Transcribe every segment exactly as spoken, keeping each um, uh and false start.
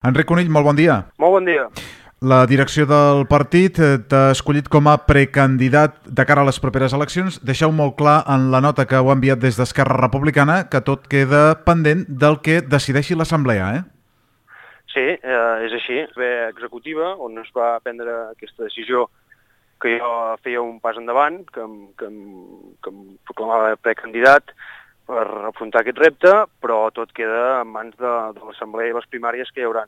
Enric Conill, molt bon dia. Molt bon dia. La direcció del partit t'ha escollit com a precandidat de cara a les properes eleccions. Deixeu molt clar en la nota que heu enviat des d'Esquerra Republicana que tot queda pendent del que decideixi l'Assemblea, eh? Sí, eh, és així. Ve executiva, on es va prendre aquesta decisió que jo feia un pas endavant, que em, que em, que em proclamava precandidat per afrontar aquest repte, però tot queda en mans de, de l'Assemblea i les primàries que hi haurà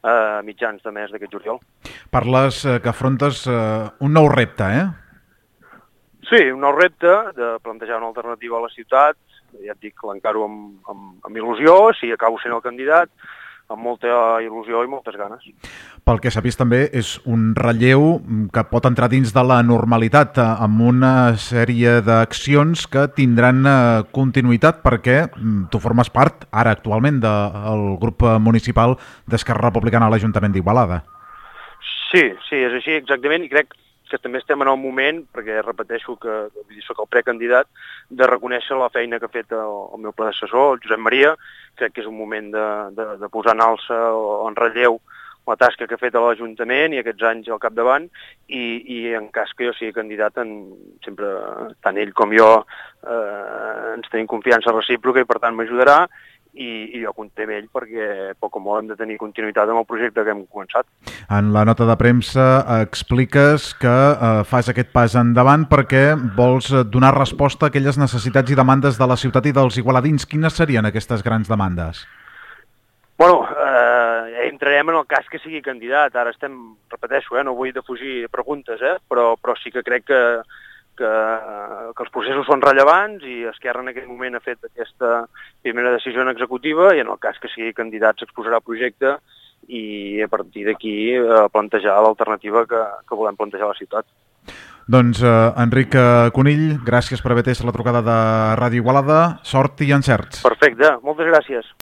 a mitjans de mes d'aquest juliol. Parles eh, que afrontes eh, un nou repte, eh? Sí, un nou repte de plantejar una alternativa a la ciutat. Ja et dic, l'encaro amb, amb, amb il·lusió, si acabo sent el candidat, amb molta il·lusió i moltes ganes. Pel que s'ha vist també és un relleu que pot entrar dins de la normalitat eh, amb una sèrie d'accions que tindran eh, continuïtat perquè mm, tu formes part ara actualment del grup municipal d'Esquerra Republicana a l'Ajuntament d'Igualada. Sí, sí, és així exactament, i crec que també estem en el moment, perquè repeteixo que vull dir, soc el precandidat, de reconèixer la feina que ha fet el, el meu predecessor, el Josep Maria. Crec que és un moment de, de, de posar en alça o en relleu la tasca que ha fet a l'Ajuntament i aquests anys al capdavant, i, i en cas que jo sigui candidat, en, sempre tant ell com jo eh, ens tenim confiança recíproca i per tant m'ajudarà, i, i jo comptem amb ell perquè poc o molt hem de tenir continuïtat amb el projecte que hem començat. En la nota de premsa expliques que eh, fas aquest pas endavant perquè vols donar resposta a aquelles necessitats i demandes de la ciutat i dels igualadins. Quines serien aquestes grans demandes? Bueno, eh, entrarem en el cas que sigui candidat. Ara estem, repeteixo, eh, no vull defugir preguntes, eh, però, però sí que crec que, que, que els processos són rellevants i Esquerra en aquest moment ha fet aquesta primera decisió en executiva i en el cas que sigui candidat s'exposarà el projecte i a partir d'aquí eh, plantejar l'alternativa que, que volem plantejar a la ciutat. Doncs eh, Enric Conill, gràcies per haver atès la trucada de Ràdio Igualada. Sort i encerts. Perfecte, moltes gràcies.